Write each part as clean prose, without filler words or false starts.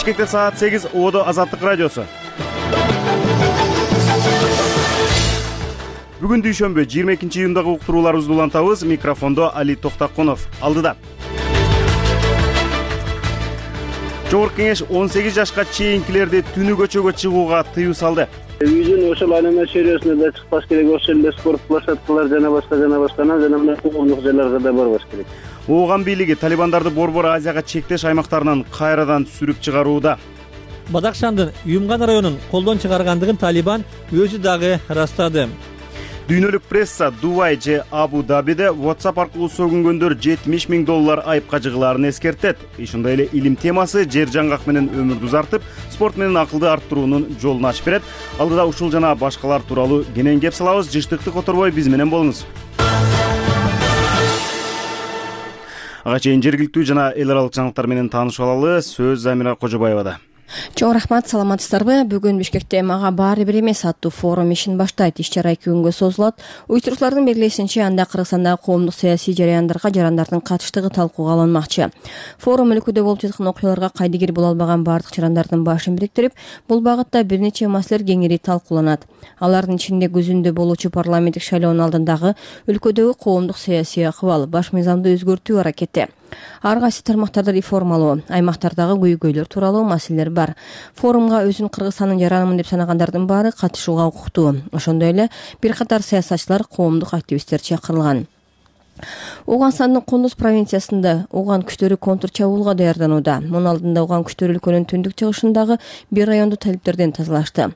Бишкекте саат 8, Ободо Азаттык радиосу. Бүгүн дүйшөмбү 22-июндагы уктурууларыбызды улантабыз. Микрофондо Али Токтакунов. Алдыда. Жогорку кеңеш 18 жашка чейинкилерди түнү көчөгө чыгууга тыюу салды. Үйдүн ошол айнема чөйрөсүнө да чыкпаш керек, ошол эле спорт площадкалар жана башкана жана мына коомдук жайларга да барбаш керек. Ооган бийлиги талибандарды Борбор Азияга чектеш аймактарынан кайрадан сүрүп чыгарууда. Бадакшандын Юмган районун колдон чыгаргандыгын Талибан өзү дагы ырастады. Дүйнөлүк пресса Дубай же Абу Дабиде WhatsApp аркылуу сөгүнгөндөр $70 000 айыпка жыгылаарын эскертет. Ошондой эле илим темасы жер жаңгак менен өмүрдү узартып, спорт менен акылды арттыруунун жолун ачып берет. Алдыда ушул жана башкалар тууралуу кенен кеп салабыз. Жыштыкты которбой биз менен болуңуз. Ага чейин жергиликтүү жана эл аралык жаңылыктар менен таанышып алалы. Сөз Замира Кожобаевада. Чоң рахмат, саламатсыздарбы? Бүгүн Бишкекте мага баары бир эмес аттуу форум ишин баштайт. Иш-чара 2 күнгө созулат. Уюштуруучулардын белгилешинче, анда Кыргызстандагы коомдук саясий жараяндарга жарандардын катыштыгы талкууга алынмакчы. Форум өлкөдө болуп жаткан окуяларга кайдыгер боло албаган бардык жарандардын башын бириктирип, бул багытта бир нече маселелер кеңири талкууланат. Алардын ичинде күзүндө болуучу парламенттик шайлоонун алдындагы өлкөдөгү коомдук саясий акыбал, баш мыйзамды өзгөртүү аракети, ар кайсы тармактарды реформалоо, аймактардагы көйгөйлөр тууралуу маселелер бар. Форумга өзүн Кыргызстандын жаранымын деп санагандардын баары катышууга укуктуу. Ошондой эле бир катар саясатчылар, коомдук активисттер чакырылган. Ооганстандын Кундуз провинциясында ооган күчтөрү контр чабуулга даярданууда. Мунун алдында ооган күчтөрү өлкөнүн түндүк чыгышындагы бир районду талиптерден тазалашты.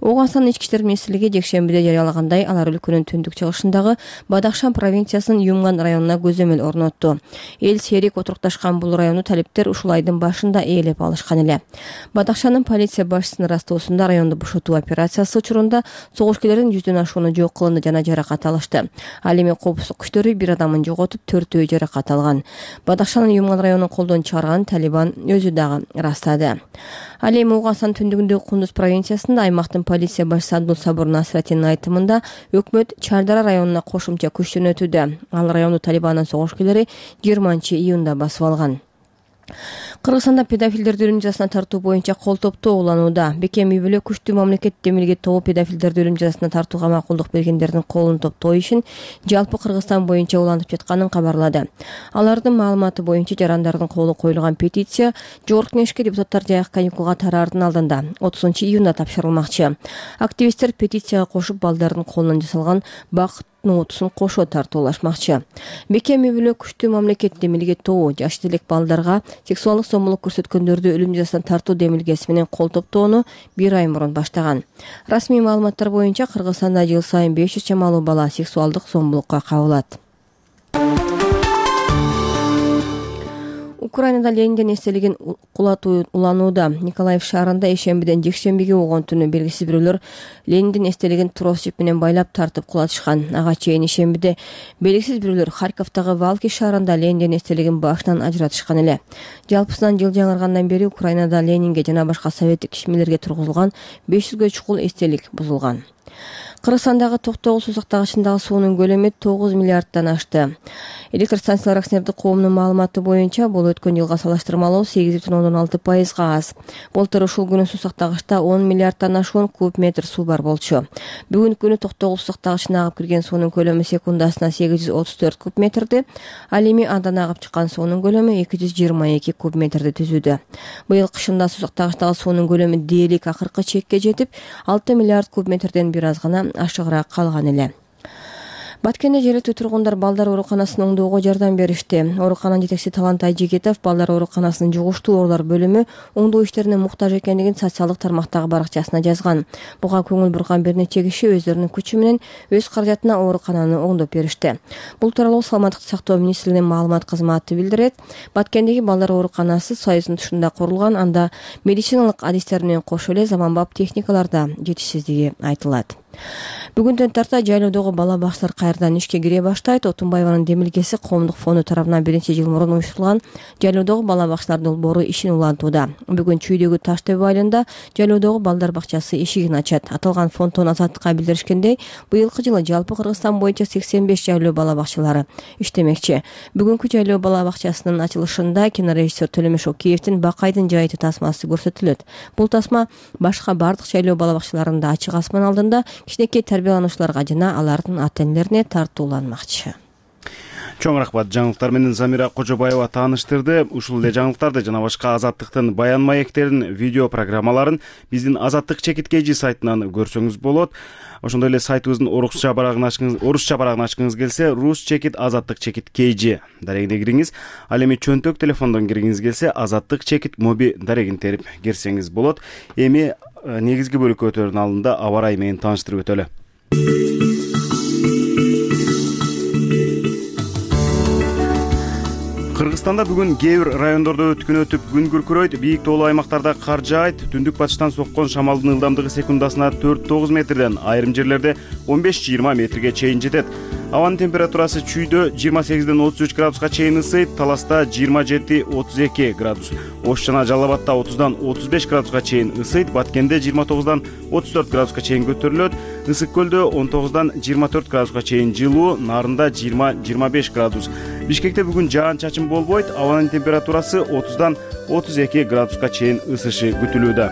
Ооганстандын ички иштер министрлиги жекшембиде жарыялагандай, алар өлкөнүн түндүк чыгышындагы Бадакшан провинциясынын Юмган районуна көзөмөл орнотту. Эл серик отурукташкан бул районду талиптер ушул айдын башында ээлеп алышкан эле. Бадакшандын полиция башчысынын ырастоосунда районду бошотуу операциясы учурунда согушкерлердин 100дөн ашууну жок кылынды жана жаракат алышты. Ал эми коопсуздук күчтөрү бир адамын жоготуп, 4-өө жаракат алган. Бадакшанын Юмган районун колдон чыгарганын Талибан өзү дагы ырастады. Ал эми Ооганстан түндүгүндөгү Кундуз провинциясында аймактын полиция башчысы Абдул Сабур Насратинин айтымында өкмөт Чардара районуна кошумча күч жөнөтүүдө. Ал районду Талибандын согушкерлери 20-июнда басып алган. Кыргызстанда педофилдерди өлүм жазасына тартуу боюнча кол топтоо уланууда. Бекем үй бүлө күчтүү мамлекет демилге тобу педофилдерди өлүм жазасына тартууга макулдук бергендердин колун топтоо ишин жалпы Кыргызстан боюнча улантып жатканын кабарлады. Алардын маалыматы боюнча жарандардын колу коюлган петиция Жогорку кеңешке депутаттар жайкы каникулга тараардын алдында 30-июнда тапшырылмакчы. Активисттер петицияга кошуп балдардын колунан жасалган бакыт нотусун кошо тартуулашмакчы. Бекем үй бүлө күчтүү мамлекет демилге тобу жаш элек балдарга сексуалдык зомбулук көрсөткөндөрдү өлүм жазасына тартуу демилгеси менен кол топтоону 1 ай мурун баштаган. Расмий маалыматтар боюнча Кыргызстанда жыл сайын 500 чамалуу бала сексуалдык зомбулукка кабылат. Украинада Лениндин эстелигин кулатуу уланууда. Николаев шаарында ишембиден жекшембиге болгон түнү белгисиз бирөөлөр Лениндин эстелигин трос жип менен байлап тартып кулатышкан. Ага чейин ишембиде белгисиз бирөөлөр Харьковдагы Валки шаарында Лениндин эстелигин башынан ажыратышкан эле. Жалпысынан жыл жаңыргандан бери Украинада Ленинге жана башка советтик ишмерлерге тургузулган 500гө чукул эстелик бузулган. Кыргызстандагы Токтогул суу сактагычындагы суунун көлөмү 9 миллиарддан ашты. Электр станциялар акционердик коомунун маалыматы боюнча бул өткөн жылга салыштырмалуу 8,6% аз. Былтыр ушул күнү суу сактагычта 10 миллиарддан ашуун куб метр суу бар болчу. Бүгүнкү күнү Токтогул суу сактагычына агып кирген суунун көлөмү секундасына 834 куб метрди. Ал эми андан агып чыккан суунун көлөмү 222 куб метрди түзүүдө. Быйыл кышында суу сактагычтагы суунун көлөмү дээрлик акыркы чекке жетип, 6 миллиард куб метрден бир аз гана ашыгыраак калган эле. Баткенде жергиликтүү тургундар балдар ооруканасын оңдоого жардам беришти. Оорукананын жетекчиси Талантай Жигитов балдар ооруканасынын жугуштуу оорулар бөлүмү оңдоо иштерине муктаж экендигин социалдык тармактагы баракчасына жазган. Буга көңүл бурган бир нече киши өздөрүнүн күчү менен өз каражатына оорукананы оңдоп беришти. Бул тууралуу Саламаттыкты сактоо министрлигинин маалымат кызматы билдирет. Баткендеги балдар ооруканасы Союздун тушунда курулган, анда медициналык адистер менен кошо эле заманбап техникалар да жетишсиздиги айтылат. Бүгүндөн тарта жайлоодогу бала бакчалар кайрадан ишке кире баштайт. Отунбаеванын демилгеси Коомдук фонду тарабынан 1-жыл мурун уюштурулган жайлоодогу бала бакчалар долбоору ишин улантууда. Бүгүн Чүйдөгү Таш-Төбө айылында жайлоодогу балдар бакчасы эшигин ачат. Аталган фонддон Азаттыкка билдиришкендей, быйылкы жылы жалпы Кыргызстан боюнча 85 жайлоо бала бакчалары иштемекчи. Бүгүнкү жайлоо бала бакчасынын ачылышында кинорежиссер Төлөмөш Океевдин Бакайдын жайыты тасмасы көрсөтүлөт. Бул тасма башка бардык жайлоо бала бакчаларында ачык асман алдында кичинекей тарбиялануучуларга жана алардын ата-энелерине тартууланмакчы. Чоң рахмат. Жаңылыктар менен Замира Кожобаева тааныштырды. Ушул эле жаңылыктарды жана башка Азаттыктын баян маектерин, видео программаларын биздин Азаттык чекиткейжи сайтынан көрсөңүз болот. Ошондой эле сайтыбыздын орусча барагын ачкыңыз келсе, Rus чекит Азаттык чекит KG дарегине кириңиз. Ал эми чөнтөк телефондон киргиңиз келсе, Азаттык чекит моби дарегин терип кирсеңиз болот. Эми негизги бөлүккө өтөрүн алдында аба ырайы менен тааныштырып өтөлү. Кыргызстанда бүгүн кээ бир райондордо өткүнөтүп күн күркүрөйт, бийик тоолуу аймактарда кар жаайт, түндүк батыштан соккон шамалдын ылдамдыгы секундасына 4-9 метрден, айрым жерлерде 15-20 метрге чейин жетет. Абанын температурасы Чүйдө 28-ден 33 градуска чейин ысыйт, Таласта 27-32 градус, Ош жана Жалал Абадда 30-дан 35 градуска чейин ысыйт, Баткенде 29-дан 34 градуска чейин көтөрүлөт, Ысык көлдө 19-дан 24 градуска чейин жылуу, Нарында 20-25 градус. Бишкекте бүгүн жаан-чачын болбойт, абанын температурасы 30-дан 32 градуска чейин ысышы күтүлүүдө.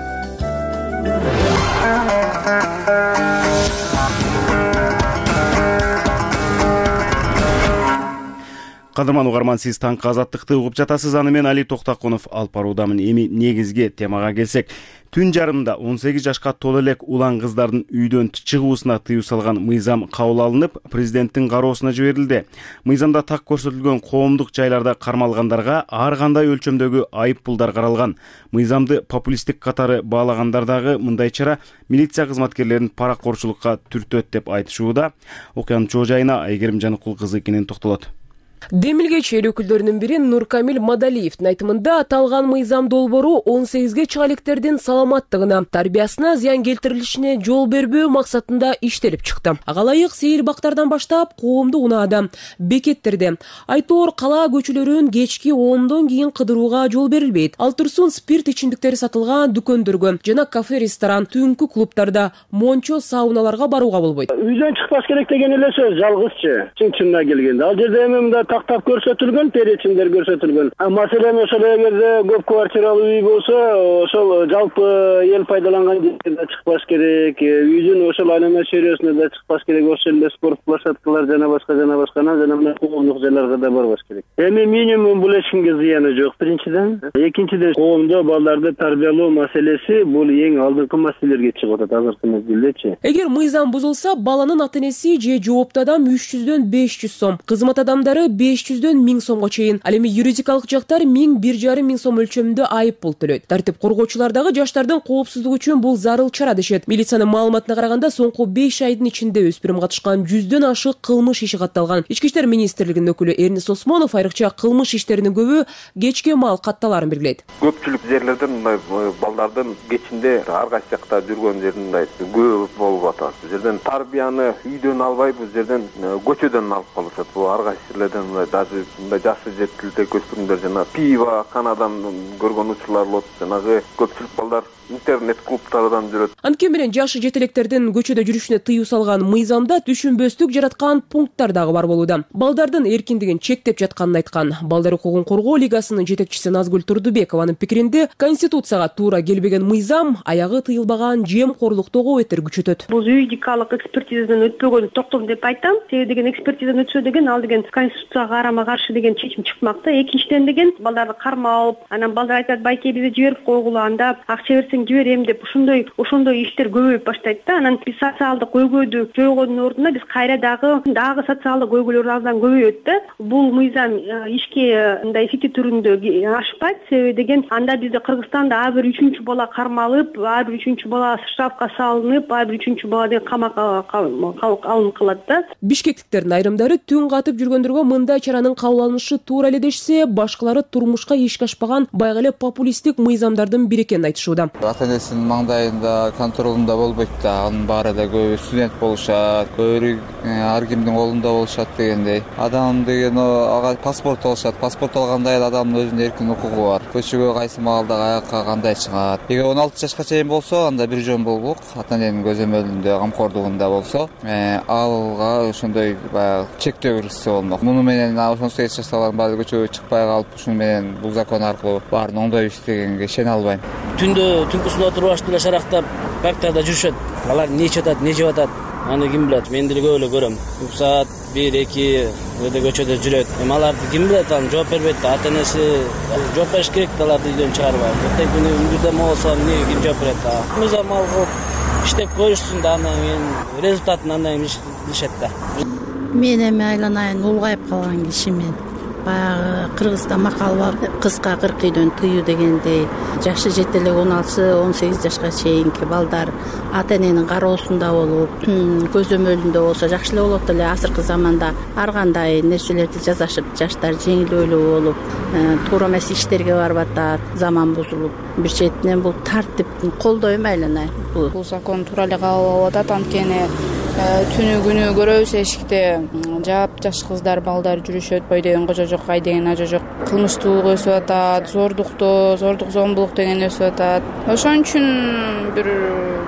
Кадырман угарман, сиз таңкы Азаттыкты угуп жатасыз. Аны мен Али Токтакунов алып баруудамын. Эми негизги темага келсек, түн жарымында 18 жашка толо элек улан кыздардын үйдөн чыгуусуна тыюу салган мыйзам кабыл алынып, президенттин кароосуна жиберилди. Мыйзамда так көрсөтүлгөн коомдук жайларда кармалгандарга ар кандай өлчөмдөгү айып пулдар каралган. Мыйзамды популисттик катары баалагандар дагы мындай чара милиция кызматкерлерин паракорчулукка түртөт деп айтышууда. Окуянын чоо жайына Айгерим Жаныкул кызы кенен токтолот. Демилгечи эл өкүлдөрүнүн бири Нуркамил Мадалиевдин айтымында аталган мыйзам долбоору 18ге чыга электердин саламаттыгына, тарбиясына зыян келтирилишине жол бербөө максатында иштелип чыкты. Ага ылайык сейил бактардан баштап коомдук унаада, бекеттерде, айтоор кала көчөлөрүн кечки 10дон кийин кыдырууга жол берилбейт. Ал турсун спирт ичимдиктери сатылган дүкөндөргө жана кафе, ресторан, түнкү клубтарда, мончо, сауналарга барууга болбойт. Үйдөн чыкпаш керек деген эле сөз жалгызчы. Чын-чынына келгенде ал жерде мында тактап көрсөтүлгөн, перечимдер көрсөтүлгөн. Маселен, ошол эгерде көп квартиралуу үй болсо, ошол жалпы эл пайдаланган жерде чыкпаш керек, үйдүн ошол айлана чөйрөсүнө да чыкпаш керек, ошол эле спорт площадкалар жана башка коомдук жайларга да барбаш керек. Эми минимум бул эч кимге зыяны жок, биринчиден. Экинчиден, коомдо балдарды тарбиялоо маселеси бул эң алдыңкы маселелерге чыгып атат азыркы мезгилдечи. Эгер мыйзам бузулса, баланын ата-энеси же жооптуу адам 300дөн 500 сом, кызмат адамдары 500дөн 1000 сомго чейин, ал эми юридикалык жактар 1000-1500 сом өлчөмүндө айып пул төлөйт. Тартип коргоочулар дагы жаштардын коопсуздугу үчүн бул зарыл чара дешет. Милициянын маалыматына караганда, соңку 5 айдын ичинде өспүрүм катышкан 100дөн ашык кылмыш иши катталган. Ички иштер министрлигинин өкүлү Эрнис Осмонов айрыкча кылмыш иштеринин көбү кечке маал катталарын белгилейт. Көпчүлүк жерлерде мындай балдардын кечинде ар кайсы жакта жүргөн жерин мындай көп болуп атат. Бул жерден тарбияны үйдөн албай, бул жерден көчөдөн алып калышат. Бул ар кайсы жерлерден даже мындай жашы жетилдек өспүрүмдөр жана пиво, канадан көргөн учурлар болот. Жанагы көпчүлүк балдар интернет клубтардан жүрөт. Анткени менен жашы жетелектердин көчөдө жүрүшүнө тыюу салган мыйзамда түшүнбөстүк жараткан пункттар дагы бар болууда. Балдардын эркиндигин чектеп жатканын айткан Балдар укугун коргоо лигасынын жетекчиси Назгүл Турдубекованын пикиринде, Конституцияга туура келбеген мыйзам аягы тыйылбаган жемкорлуктогу этер күчөтөт. Бул юридикалык экспертизадан өтпөгөн токтом деп айтам. Себеби деген экспертизадан өтсө деген ал деген Конституцияга карама каршы деген чечим чыкмакта. Экинчиден деген балдарды кармалып, анан балдар айтат, байке бизди жиберип койгула, анда акча берсең жиберем деп ошондой иштер көбөйүп баштайт да. Анан биз социалдык көйгөйдү жойгондун ордуна биз кайра дагы социалдык көйгөйлөр абдан көбөйөт да. Бул мыйзам ишке мындай эффекти түрүндө ашпайт. Себеби деген анда бизде Кыргызстанда ар бир 3-чү бала кармалып, ар бир 3-чү бала штрафка салынып, ар бир 3-чү бала деген камакка алынып калат да. Бишкектиктердин айрымдары түн катып жүргөндөргө мындай чаранын кабыл алынышы туура эле дешсе, башкалары турмушка ишке ашпаган байгы эле популисттик мыйзамдардын бири экенин айтышууда. ата энесинин маңдайында контролунда болбойт да. Анын баары да көбү студент болушат, көбү ар кимдин колунда болушат дегендей. Адам деген ага паспорт алышат. Паспорт алганда эле адамдын өзүнүн эркин укугу бар. Көчөгө кайсы маалда каяка кандай чыгат. Эгер 16 жашка чейин болсо, анда бир жөн болгулук ата эненин көзөмөлүндө, камкордугунда болсо, алга ошондой баягы чектөө киргизсе болмок. Муну менен 18 жаштагылардын баары көчөгө чыкпай калып, ушуну менен бул закон аркылуу баарын оңдойбуз дегенге ишене албайм. Түнкүсүн отуруп аштыла шарактап парктарда жүрүшөт. Алар не ичип атат, не жеп атат, аны ким билет? Мен деле көп эле көрөм. Саат 1-2 көчөдө жүрөт. Эми аларды ким билет? Аны жооп бербейт да. Ата энеси жооп бериш керек да, аларды үйдөн чыгарбай. Эртең күнү үндүдө болсо эмне ким жооп берет да? Мыйзам алып иштеп коюшсун да, андан кийин результатын андан кийин билишет да. Мен эми айланайын улгайып калган кишимен. Баягы Кыргызда макал бар, кызга 40 үйдөн тыюу дегендей. Жашы жете эле 16-18 жашка чейинки балдар ата эненин кароосунда болуп, көзөмөлүндө болсо жакшы эле болот эле. Азыркы заманда ар кандай нерселерди жазашып, жаштар жеңилөөлүү болуп, туура эмес иштерге барып атат, заман бузулуп. Бир четинен бул тартипти колдойм айланай. Бул закон туура эле кабыл болуп атат, анткени түнү күнү көрөбүз эшикте жап жаш кыздар, балдар жүрүшөт. Бой деген кожо жок, ай деген ажо жок. Кылмыштуулук өсүп атат, зордук зомбулук деген өсүп атат. Ошон үчүн бир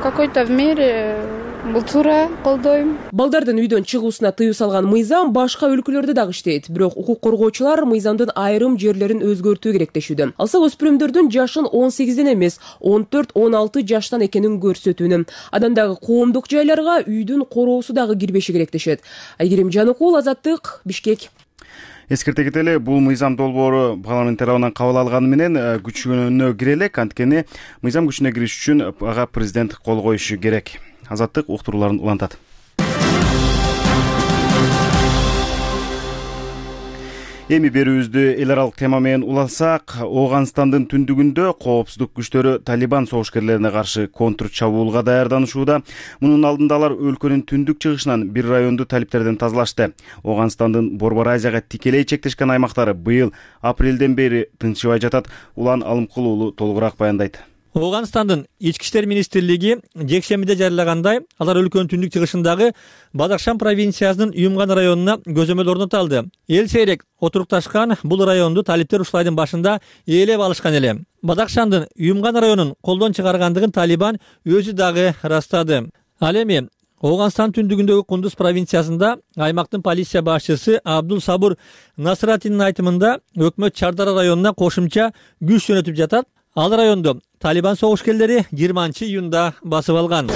какой-то в мере бул туура колдойм. Балдардын үйдөн чыгуусуна тыюу салган мыйзам башка өлкөлөрдө дагы иштейт. Бирок укук коргоочулар мыйзамдын айрым жерлерин өзгөртүү керек дешүүдө. Алса өспүрүмдөрдүн жашын 18ден эмес, 14-16 жаштан экенин көрсөтүүнү. Андан дагы коомдук жайларга үйдүн короосу дагы кирбеши керек дешет. Айгерим Жаныкул, Азаттык, Бишкек. Эскерте кетели, бул мыйзам долбоору парламент тарабынан кабыл алганы менен күчүнө кире элек, анткени мыйзам күчүнө кириш үчүн ага президент кол коюшу керек. Азаттык уктурууларын улантат. Эми берүүбүздү эл аралык тема менен улансак, Ооганстандын түндүгүндө коопсуздук күчтөрү Талибан согушкерлерине каршы контр чабуулга даярданышууда. Мунун алдында алар өлкөнүн түндүк чыгышынан бир районду талиптерден тазалашты. Ооганстандын Борбор Азияга тикелей чектешкен аймактары быйыл апрелден бери тынчыбай жатат. Улан Алымкул уулу толугураак баяндайт. Ооганстандын ички иштер министрлиги жекшембиде жарыягандай, алар өлкөнүн түндүк чыгышындагы Бадахшан провинциясынын Юмган районуна көзөмөл орното алды. Эл сейрек отурукташкан бул районду талиптер ушулайдын башында ээлеп алышкан эле. Бадахшандын Юмган районун колдон чыгаргандыгын Талибан өзү дагы ырастады. Ал эми Ооганстан түндүгүндөгү Кундуз провинциясында аймактын полиция башчысы Абдул Сабур Насратинин айтымында өкмөт Чардара районуна кошумча күч жөнөтүп жатат. Ал районду Талибан согушкерлери 20-июнда басып алган.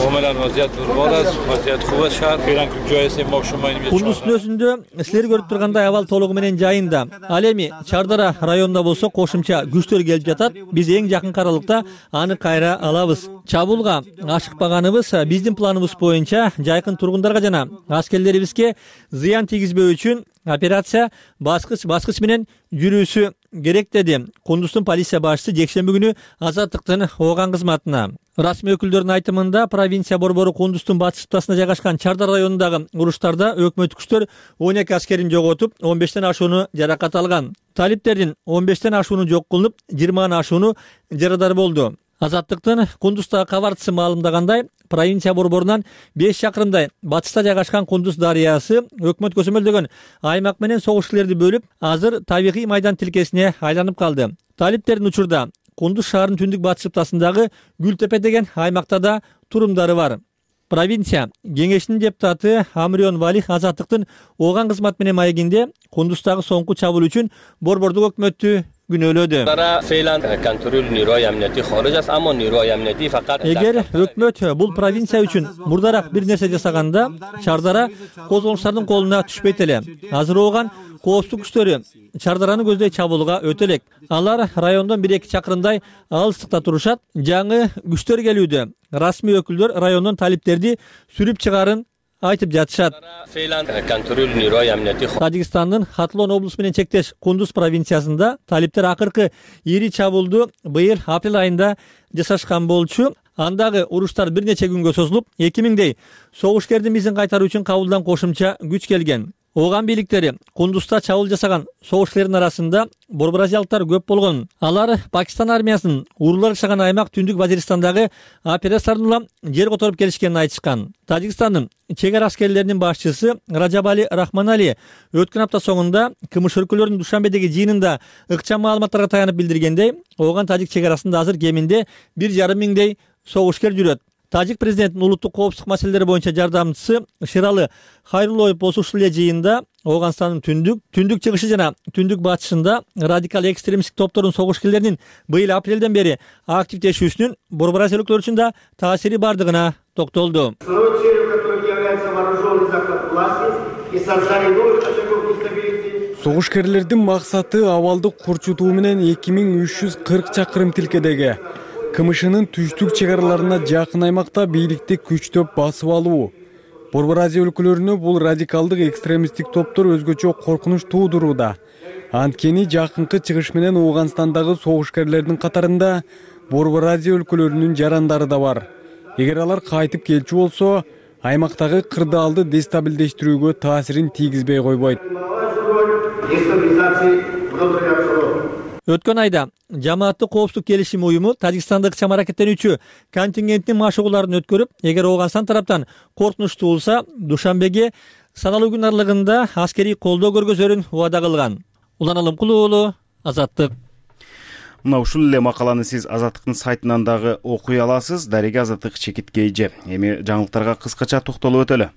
Кундуздун өзүндө силер көрүп тургандай абал толугу менен жайында. Ал эми Чардара районунда болсо кошумча күчтөр келип жатат. Биз эң жакын аралыкта аны кайра алабыз. Чабуулга ашыкпаганыбыз биздин планыбыз боюнча жайкын тургундарга жана аскерлерибизге зыян тийгизбөө үчүн операция баскыч менен жүрүүсү керек деди Кундуздун полиция башчысы жекшемби күнү Азаттыктын Ооган кызматына. Расмий өкүлдөрдүн айтымында провинция борбору Кундуздун батыш ыстасына жайгашкан Чардар районундагы уруштарда өкмөт күчтөр 12 аскерин жоготуп, 15тен ашууну жаракат алган. Талиптердин 15тен ашууну жок кылынып, 20 ашууну жарадар болду. Азаттыктын Кундуздагы кабарчысы маалымдагандай, провинция борборунан 5 чакырымдай батышта жайгашкан Кундуз дарыясы өкмөт көзөмөлдөгөн аймак менен согушкерлерди бөлүп, азыр табигый майдан тилкесине айланып калды. Талиптердин учурда Кундуз шаарынын түндүк батыш ытасындагы Гүлтепе деген аймакта да турумдары бар. Провинция кеңешинин депутаты Амрион Валих Азаттыктын Ооган кызмат менен маегинде Кундуздагы соңку чабуул үчүн борбордук өкмөттү күнөөлөдү. Эгер өкмөт бул провинция үчүн мурдараак бир нерсе жасаганда, Чардара козголуштардын колуна түшпөйт эле. Азыр Ооган коопсуздук күчтөрү Чардараны көздөй чабуулга өтө элек. Алар райондон 1-2 чакырымдай алыстыкта турушат. Жаңы күчтөр келүүдө. Расмий өкүлдөр райондон талиптерди сүрүп чыгарын айтып жатышат. Тажикстандын Хатлон облусу менен чектеш Кундуз провинциясында талиптер акыркы ири чабуулду быйыл апрель айында жасашкан болчу. Андагы уруштар бир нече күнгө созулуп, 2000дей согушкердин изин кайтаруу үчүн кабылдан кошумча күч келген. Ооган бийликтери Кундузда чабуул жасаган согушкерлердин арасында борборазиялыктар көп болгон. Алар Пакистан армиясынын уруулар жашаган аймак Түндүк Вазиристандагы операцияларын улам жер которуп келишкенин айтышкан. Тажикстандын чек ара аскерлеринин башчысы Раджабали Рахманали өткөн апта соңунда КМШ өлкөлөрүнүн Душанбедеги жыйынында ыкчам маалыматтарга таянып билдиргендей, ооган тажик чек арасында азыр кеминде 1,5 миңдей согушкер жүрөт. Тажик президентинин улуттук коопсуздук маселелери боюнча жардамчысы Ширалы Хайрулоев болуп ушул эле жыйында Ооганстандын түндүк чыгышы жана түндүк батышында радикал экстремисттик топтордун согушкерлеринин быйыл апрелден бери активдешүүсүнүн борбор Азия өлкөлөрү үчүн да таасири бардыгына токтолду. Согушкерлердин максаты абалды курчутуу менен 2340 чакырым тилкедеги КМШнын түштүк чек араларына жакын аймакта бийликти күчтөп басып алуу. Борбор Азия өлкөлөрүнө бул радикалдык экстремисттик топтор өзгөчө коркунуч туудурууда. Анткени жакынкы чыгыш менен Ооганстандагы согушкерлердин катарында Борбор Азия өлкөлөрүнүн жарандары да бар. Эгер алар кайтып келчү болсо, аймактагы кырдаалды дестабилдештирүүгө таасирин тийгизбей койбойт. Өткөн айда Жамааттык коопсуздук келишим уюму Тажикстандык ыкчам аракеттенүүчү контингенттин машыгууларын өткөрүп, эгер Ооганстан тараптан коркунуч туулса, Душанбеге саналуу күн аралыгында аскерий колдоо көргөзөрүн убада кылган. Улан Алымкулуу уулу, Азаттык. Мына ушул эле макаланы сиз Азаттыктын сайтынан дагы окуй аласыз. Дареги Азаттык чекиткейже. Эми жаңылыктарга кыскача токтолуп өтөлү.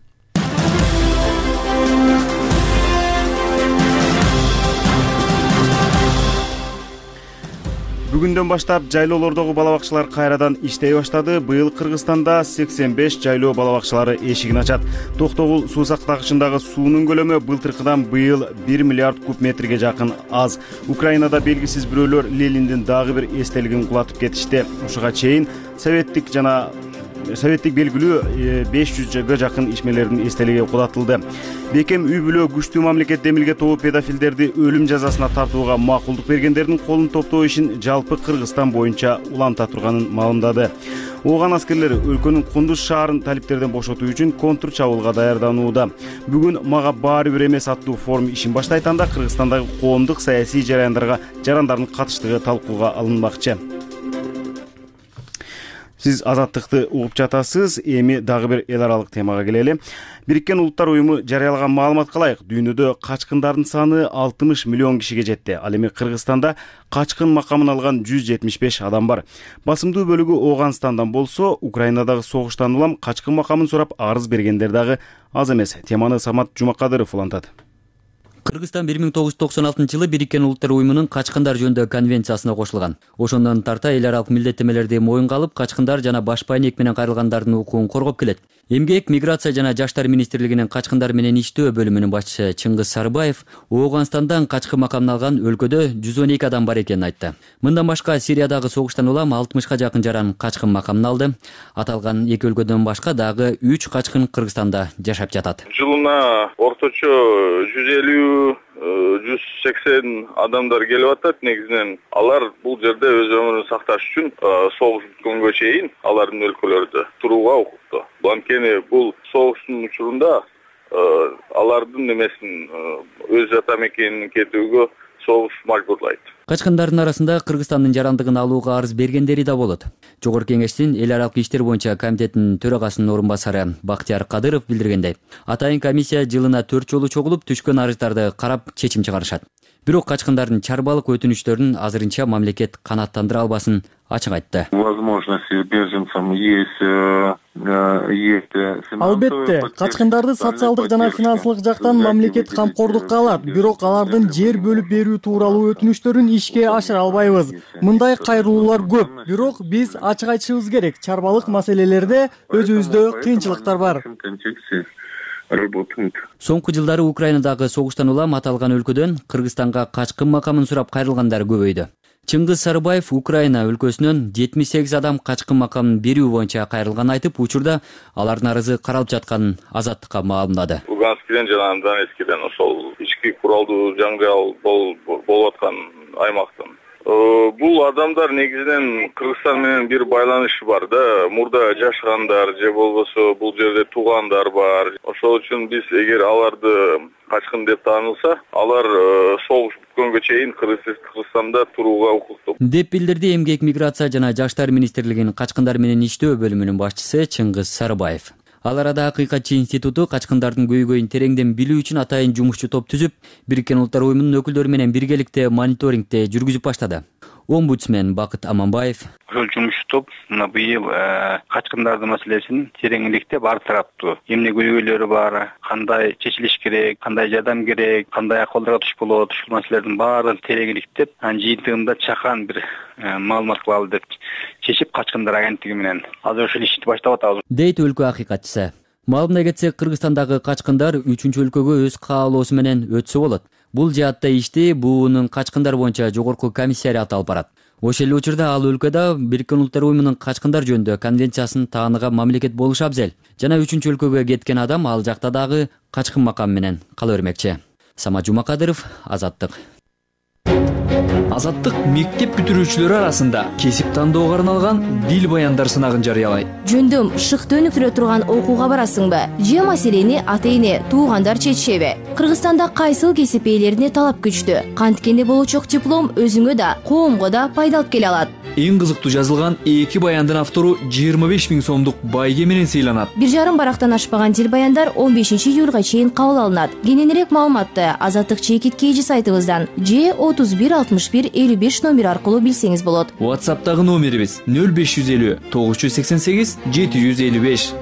Бүгүндөн баштап жайлоолордогу бала бакчалар кайрадан иштей баштады. Быйыл Кыргызстанда 85 жайлоо бала бакчалары эшигин ачат. Токтогул суу сактагычындагы суунун көлөмү былтыркыдан быйыл 1 миллиард куб метрге жакын аз. Украинада белгисиз бирөөлөр Лениндин дагы бир эстелигин кулатып кетишти. Ушуга чейин советтик белгилүү 500 жакын ишмерлердин эстелиги кулатылды. Бекем үй бүлө күчтүү мамлекет демилге тобу педофилдерди өлүм жазасына тартууга макулдук бергендердин колун топтоо ишин жалпы Кыргызстан боюнча уланта турганын маалымдады. Ооган аскерлери өлкөнүн Кундуз шаарын талиптерден бошотуу үчүн контр чабуулга даярданууда. Бүгүн мага баары бир эмес аттуу форум ишин баштайтанда Кыргызстандагы коомдук саясий жарандардын катыштыгы талкууга алынмакчы. Сиз Азаттыкты угуп жатасыз. Эми дагы бир эл аралык темага келели. Бириккен Улуттар уюму жарыялаган маалыматка ылайык, дүйнөдө качкындардын саны 60 миллион кишиге жетти. Ал эми Кыргызстанда качкын макамын алган 175 адам бар. Басымдуу бөлүгү Ооганстандан болсо, Украинадагы согуштан улам качкын макамын сурап арыз бергендер дагы аз эмес. Теманы Самат Жумакадыров улантат. Кыргызстан 1996-жылы Бириккен Улуттар уюмунун качкындар жөнүндө конвенциясына кошулган. Ошондон тарта эл аралык милдеттемелерди моюнга алып, качкындар жана башпай ник менен кайрылгандардын укугун коргоп келет. Эмгек, миграция жана жаштар министрлигинин качкындар менен иштөө бөлүмүнүн башчысы Чыңгыз Сарыбаев Ооганстандан качкын макамын алган өлкөдө 112 адам бар экенин айтты. Мындан башка Сириядагы согуштан улам 60га жакын жаран качкын макамын алды. Аталган эки өлкөдөн башка дагы 3 качкын Кыргызстанда жашап жатат. Жылына орточо 150-180 адамдар келип атат. Негизинен алар бул жерде өз өмүрүн сакташ үчүн согуш бүткөнгө чейин алардын өлкөлөрүдө турууга укуктуу. Анткени бул согуштун учурунда алардын немесин өз ата мекенин кетүүгө согуш мажбурлайт. Качкындардын арасында Кыргызстандын жарандыгын алууга арыз бергендери да болот. Жогорку Кеңештин эл аралык иштер боюнча комитетинин төрагасынын орун басары Бактияр Кадыров билдиргендей, атайын комиссия жылына 4 жолу чогулуп түшкөн арыздарды карап чечим чыгарышат. Бирок качкындардын чарбалык өтүнүчтөрүн азырынча мамлекет канааттандыра албасын ачык айтты. Возможности беженцам есть. Албетте, качкындарды социалдык жана финансылык жактан мамлекет камкордукка алат, бирок алардын жер бөлүп берүү тууралуу өтүнүчтөрүн ишке ашыра албайбыз. Мындай кайрылуулар көп, бирок биз ачык айтышыбыз керек. Чарбалык маселелерде өзүбүздө кыйынчылыктар бар. Соңку жылдары Украинадагы согуштан улам аталган өлкөдөн Кыргызстанга качкын макамын сурап кайрылгандар көбөйдү. Чыңгыз Сарыбаев Украина өлкөсүнөн 78 адам качкын макамын берүү боюнча кайрылганын айтып, учурда алардын арызы каралып жатканын Азаттыкка маалымдады. Луганскиден жана Донецкиден ошол ички куралдуу жаңжал болуп аткан аймактын Бул адамдар негизинен Кыргызстан менен бир байланышы бар да. Мурда жашагандар же болбосо бул жерде туугандар бар. Ошол үчүн биз эгер аларды качкын деп таанылса, алар согуш бүткөнгө чейин Кыргызстанда турууга укуктуу деп билдирди Эмгек, миграция жана жаштар министрлигинин качкындар менен иштөө бөлүмүнүн башчысы Чыңгыз Сарыбаев. Ал арада Акыйкатчы институту качкындардын көйгөйүн тереңден билүү үчүн атайын жумушчу топ түзүп, Бириккен Улуттар уюмунун өкүлдөрү менен биргеликте мониторингде жүргүзүп баштады. Омбудсмен Бакыт Аманбаев: Ошол жумушчу топ мына быйыл качкындардын маселесин тереңдиктеп ар тараптуу эмне көйгөйлөрү бар, кандай чечилиш керек, кандай жардам керек, кандай акыбалдарга туш болот, ушул маселелердин баарын тереңдиктеп, анын жыйынтыгында чакан бир маалымат кылалы деп чечип, качкындар агенттиги менен азыр ушул ишти баштап атабыз, дейт өлкө акыйкатчысы. Маалымдай кетсек, Кыргызстандагы качкындар 3-өлкөгө өз каалоосу менен өтсө болот. Бул жаатта ишти БУнун качкындар боюнча жогорку комиссариаты алып барат. Ошол эле учурда ал өлкөдө Бириккен Улуттар уюмунун качкындар жөнүндө конвенциясын тааныган мамлекет болуш абзел. Жана 3-өлкөгө кеткен адам ал жакта дагы качкын макам менен кала бермекчи. Самат Жумакадыров, Азаттык. Азаттык мектеп бүтүрүүчүлөрү арасында кесип тандоого арналган дил баяндар сынагын жарыялайт. Жөндөм шыкты өнүктүрө турган окууга барасыңбы? Же маселени ата-эне, туугандар чечишеби? Кыргызстанда кайсыл кесип ээлерине талап күчтүү? Канткенде болочок диплом өзүңө да, коомго да пайда алып келе алат. Эң кызыктуу жазылган 2 баяндын автору 25 000 сомдук байге менен сыйланат. 1,5 барактан ашпаган дил баяндар 15 июлга чейин кабыл алынат. Кененирээк маалыматты Азаттык чекит KG сайтыбыздан же 31 61 55 номер аркылуу билсеңиз болот. WhatsApp'тагы номерибиз 0550 988 755.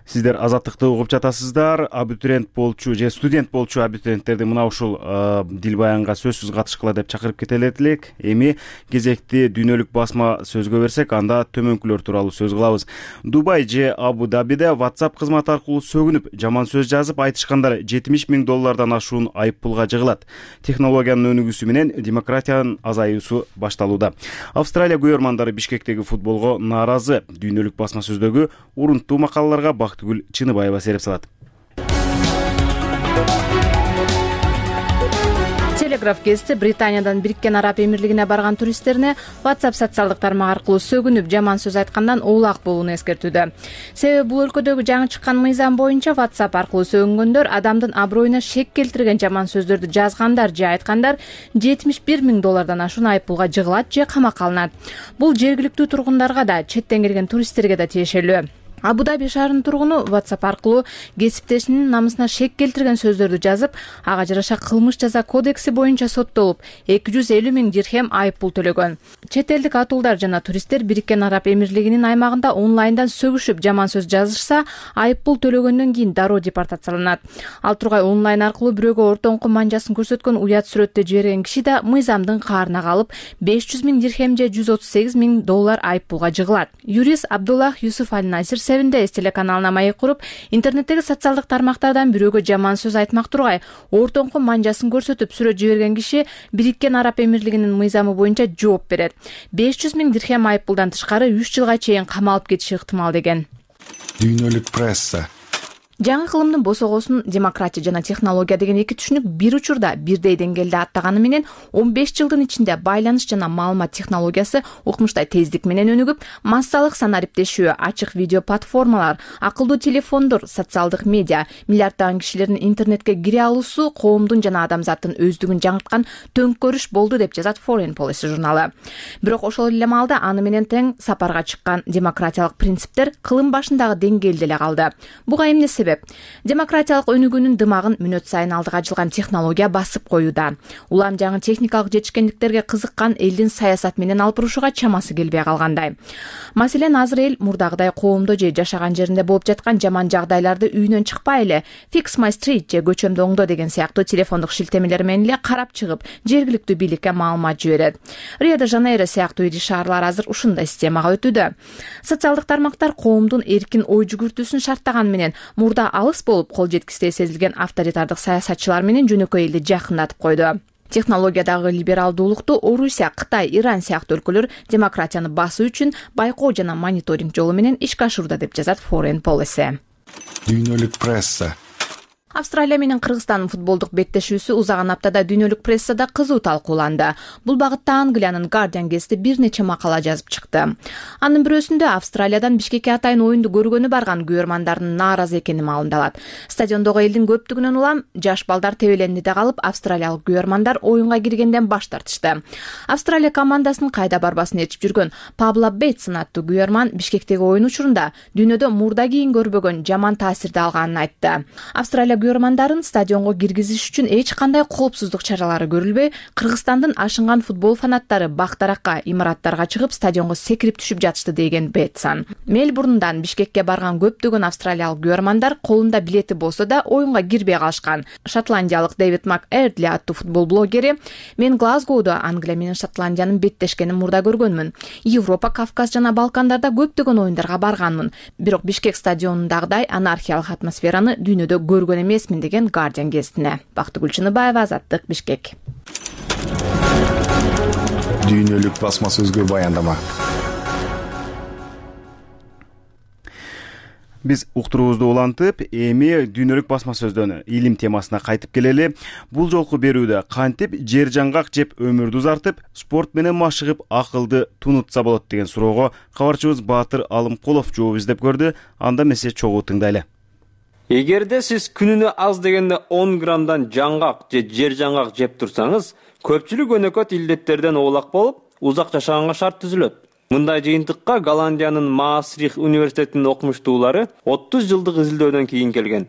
Сиздер Азаттыкты угуп жатасыздар. Абитуриент болчу же студент болчу абитуриенттерди мына ушул дил баянга сөзсүз катышкыла деп чакырып кетелек элек. Эми кезекти дүйнөлүк басма сөзгө берсек, анда төмөнкүлөр тууралуу сөз кылабыз. Дубай же Абу Дабиде WhatsApp кызматы аркылуу сөгүнүп, жаман сөз жазып айтышкандар $70 000 ашуун айып пулга жыгылат. Технологиянын өнүгүүсү менен демократиянын азаюусу башталууда. Австралия көйөрмандары Бишкектеги футболго нааразы. Дүйнөлүк басма сөздөгү урунттуу макалаларга Бактыгүл Чыныбаева сереп салат. Телеграф гезити Британиядан Бириккен Араб Эмирлигине барган туристтерине WhatsApp социалдык тармак аркылуу сөгүнүп, жаман сөз айткандан улак болууну эскертүүдө. Себеби бул өлкөдөгү жаңы чыккан мыйзам боюнча WhatsApp аркылуу сөгүнгөндөр адамдын аброюна шек келтирген жаман сөздөрдү жазгандар же айткандар $71 000 ашуун айып пулга жыгылат же камакка алынат. Бул жергиликтүү тургундарга да, четтен келген туристтерге да тиешелүү. Абу Даби шаарынын тургуну WhatsApp аркылуу кесиптешинин намысына шек келтирген сөздөрдү жазып, ага жараша кылмыш жаза кодекси боюнча соттолуп, 250 000 дирхем айып пул төлөгөн. Чет элдик атуулдар жана туристтер Бириккен Араб Эмирлигинин аймагында онлайндан сөгүшүп жаман сөз жазышса, айып пул төлөгөндөн кийин дароо депортацияланат. Ал тургай онлайн аркылуу бирөөгө ортоңку манжасын көрсөткөн уят сүрөттү жиберген киши да мыйзамдын каарына калып, 500 000 дирхем же $138 000 айып пулга жыгылат. Юрист Абдуллах Юсуф Аль-Насир СТС телеканалына маек куруп, интернеттеги социалдык тармактардан бирөөгө жаман сөз айтмак тургай ортоңку манжасын көрсөтүп сүрөт жиберген киши Бириккен Араб Эмирлигинин мыйзамы боюнча жооп берет. 500 000 дирхем айып пулдан тышкары 3 жылга чейин камалып кетиши ыктымал деген. Дүйнөлүк пресса. Жаңы кылымдын босогосун демократия жана технология деген эки түшүнүк бир учурда бирдей деңгээлде аттаганы менен 15 жылдын ичинде байланыш жана маалымат технологиясы укмуштай тездик менен өнүгүп, массалык санариптешүү, ачык видео платформалар, акылдуу телефондор, социалдык медиа, миллиарддаган кишилердин интернетке кире алуусу коомдун жана адамзаттын өздүгүн жаңырткан төңкөрүш болду деп жазат Foreign Policy журналы. Бирок ошол эле маалда аны менен тең сапарга чыккан демократиялык принциптер кылым башындагы деңгээлде эле калды. Буга эмне себеп? Демократиялык өнүгүүнүн дымагын мүнөт сайын алдыга жылган технология басып коюуда. Улам жаңы техникалык жетишкендиктерге кызыккан элдин саясат менен алпырушуга чамасы келбей калгандай. Маселен, азыр эл мурдагыдай коомдо же жашаган жеринде болуп жаткан жаман жагдайларды үйүнөн чыкпай эле Fix My Street же көчөмдү оңдо деген сыяктуу телефондук шилтемелер менен эле карап чыгып, жергиликтүү бийликке маалымат жиберет. Рио-де-Жанейро сыяктуу ири шаарлар азыр ушундай системага өтүүдө. Социалдык тармактар коомдун эркин ой жүгүртүүсүн шарттаган менен мурда алыс болуп кол жеткистей сезилген авторитардык саясатчылар менен жөнөкөй элди жакындатып койду. Технологиядагы либералдуулукту Орусия, Кытай, Иран сыяктуу өлкөлөр демократияны басуу үчүн байкоо жана мониторинг жолу менен ишке ашурууда деп жазат Foreign Policy. Дүйнөлүк пресса. Австралия менен Кыргызстандын футболдук беттешүүсү узаган аптада дүйнөлүк прессада кызуу талкууланды. Бул багытта Англиянын Guardian гезити бир нече макала жазып чыкты. Анын бирөөсүндө Австралиядан Бишкекке атайын оюнду көргөнү барган көрөрмандардын нааразы экени маалымдалат. Стадиондогу элдин көптүгүнөн улам жаш балдар тебелендиде калып, австралиялык көрөрмандар оюнга киргенден баш тартышты. Австралия командасын кайда барбасын ээрчип жүргөн Пабло Бейтсон аттуу көрөрман Бишкектеги оюн учурунда дүйнөдө мурда кийин көрбөгөн жаман таасирди алганын айтты. Австралия көрөрмандарын стадионго киргизиш үчүн эч кандай коопсуздук чаралары көрүлбөй, Кыргызстандын ашынган футбол фанаттары бактаракка, имараттарга чыгып стадионго секирип түшүп жатышты деген Бейтсон. Мельбурндан Бишкекке барган көптөгөн австралиялык көрөрмандар колунда билети болсо да оюнга кирбей калышкан. Шотландиялык Дэвид МакЭрдли аттуу футбол блогери: "Мен Глазгоодо Англия менен Шотландиянын беттешкенин мурда көргөнмүн. Европа, Кавказ жана Балкандарда көптөгөн оюндарга барганмын. Бирок Бишкек стадионундагыдай анархиялык атмосфераны дүйнөдө көргөн эмесмин" деген Guardian гезитине. Бактыгүл Чыныбаева, Азаттык, Бишкек. Дүйнөлүк басма сөзгө баяндама. Биз уктуруубузду улантып, эми дүйнөлүк басма сөздөн илим темасына кайтып келели. Бул жолку берүүдө кантип жер жаңгак жеп өмүрдү узартып, спорт менен машыгып акылды тунутса болот деген суроого кабарчыбыз Баатыр Алымкулов жооп издеп көрдү. Анда месе чогуу тыңдайлы. Эгерде сиз күнүнө аз дегенде 10 граммдан жаңгак же жер жаңгак жеп турсаңыз, көпчүлүк өнөкөт илдеттерден оолак болуп, узак жашаганга шарт түзүлөт. Мындай жыйынтыкка Голландиянын Маастрихт университетинин окумуштуулары 30 жылдык изилдөөдөн кийин келген.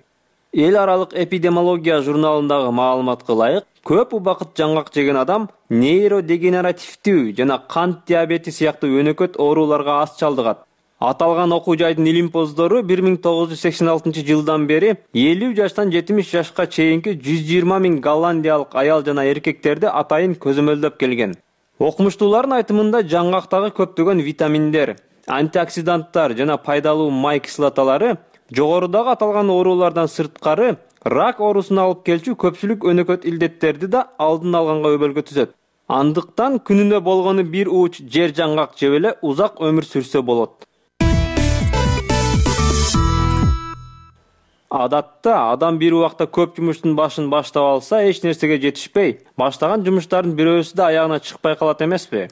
Эл аралык эпидемиология журналындагы маалыматка ылайык, көп убакыт жаңгак жеген адам нейродегенеративдүү жана кант диабети сыяктуу өнөкөт ооруларга аз чалдыгат. Аталган окуу жайдын илимпоздору 1986 жылдан бери 50 жаштан 70 жашка чейинки 120 миң голландиялык аял жана эркектерди атайын көзөмөлдөп келген. Окумуштуулардын айтымында жаңгактагы көптөгөн витаминдер, антиоксиданттар жана пайдалуу май кислоталары жогорудагы аталган оорулардан сырткары рак оорусуна алып келчү көпчүлүк өнөкөт илдеттерди да алдын алганга өбөлгө түзөт. Андыктан күнүнө болгону бир ууч жер жаңгак жеп эле узак өмүр сүрсө болот. Адатта адам бир убакта көп жумуштун башын баштап алса, эч нерсеге жетишпей, баштаган жумуштардын бирөөсү да аягына чыкпай калат эмеспи?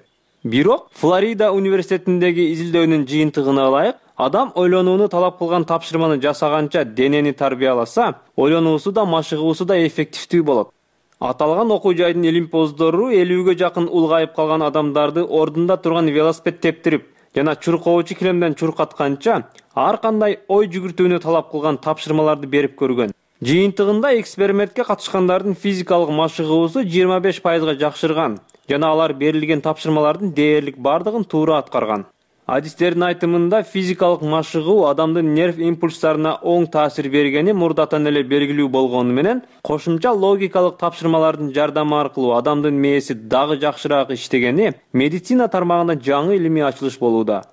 Бирок Флорида университетиндеги изилдөөнүн жыйынтыгына ылайык, адам ойлонууну талап кылган тапшырманы жасаганча денени тарбияласа, ойлонуусу да машыгуусу да эффективдүү болот. Аталган окуу жайдын илимпоздору 50ге жакын улгайып калган адамдарды ордунда турган велосипед тептирип жана чуркоочу килемден чуркатканча ар кандай ой жүгүртүүнү талап кылган тапшырмаларды берип көргөн. Жыйынтыгында экспериментке катышкандардын физикалык машыгуусу 25%га жакшырган жана алар берилген тапшырмалардын дээрлик бардыгын туура аткарган. Адистердин айтымында физикалык машыгуу адамдын нерв импульстарына оң таасир бергени мурдатан эле белгилүү болгону менен, кошумча логикалык тапшырмалардын жардамы аркылуу адамдын мээси дагы жакшыраак иштегени медицина тармагында жаңы илимий ачылыш болууда.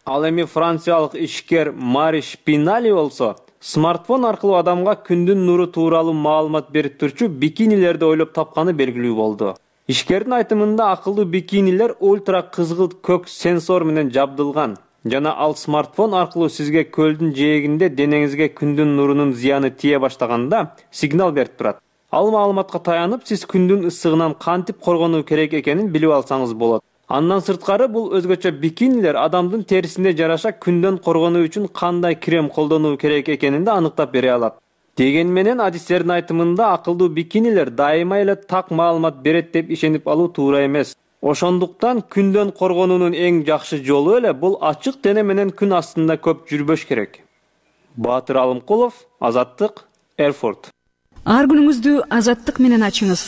Ал эми франциялык ишкер Мари Шпинали болсо, смартфон аркылуу адамга күндүн нуру тууралуу маалымат берип турчу бикинилерди ойлоп тапканы белгилүү болду. Ишкердин айтымында акылдуу бикинилер ультра кызгылт көк сенсор менен жабдылган жана ал смартфон аркылуу сизге көлдүн жээгинде денеңизге күндүн нурунун зыяны тие баштаганда сигнал берип турат. Ал маалыматка таянып, сиз күндүн ысыгынан кантип коргонуу керек экенин билип алсаңыз болот. Андан сырткары бул өзгөчө бикинилер адамдын терисине жараша күндөн коргонуу үчүн кандай крем колдонуу керек экенин да аныктап бере алат. Деген менен адистердин айтымында акылдуу бикинилер дайыма эле так маалымат берет деп ишенип алуу туура эмес. Ошондуктан күндөн коргонуунун эң жакшы жолу эле бул ачык дене менен күн астында көп жүрбөш керек. Баатыр Алымкулов, Азаттык, Эрфурт. Ар күнүңүздү Азаттык менен ачыңыз.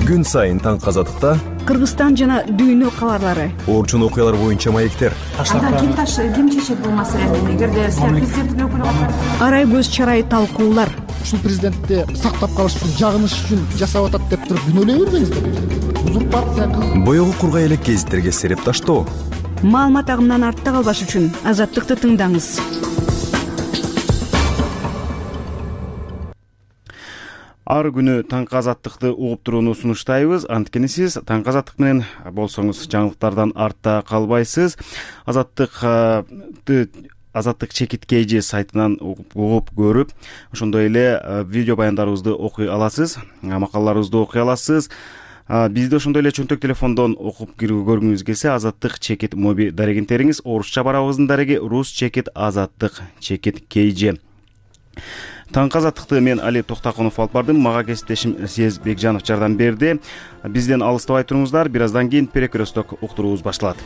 Күн сайын таң Азаттыкта Кыргызстан жана дүйнө кабарлары. Орчун окуялар боюнча маектер. Ким чечет бул маселени? Эгерде сиз президенттин өкүлү арай көз чарай талкуулар. Ушул президентти сактап калыш үчүн, жагыныш үчүн жасап атат деп туруп күнөөлөй бербеңиздер. Узурпация. Боёгу кургай элек гезиттерге сереп таштоо. Маалымат агымынан артта калбаш үчүн Азаттыкты тыңдаңыз. Ар күнү таңкы Азаттыкты угуп турууну сунуштайбыз. Анткени сиз таңкы Азаттык менен болсоңуз жаңылыктардан артта калбайсыз. Азаттыкты Азаттык чекит KG сайтынан угуп көрүп, ошондой эле видео баяндарыбызды окуй аласыз, макалаларыбызды окуй аласыз. Бизди ошондой эле чөнтөк телефондон окуп көргүңүз келсе, Азаттык чекит моби дарегин териңиз. Орусча барабыздын дареги Рус чекит Азаттык чекит KG. Таңкы азаттыкты мен Али Токтакунов алып бардым. Мага кесиптешим Сез Бекжанов жардам берди. Бизден алыстабай туруңуздар. Бир аздан кийин перекресток уктуруубуз башталат.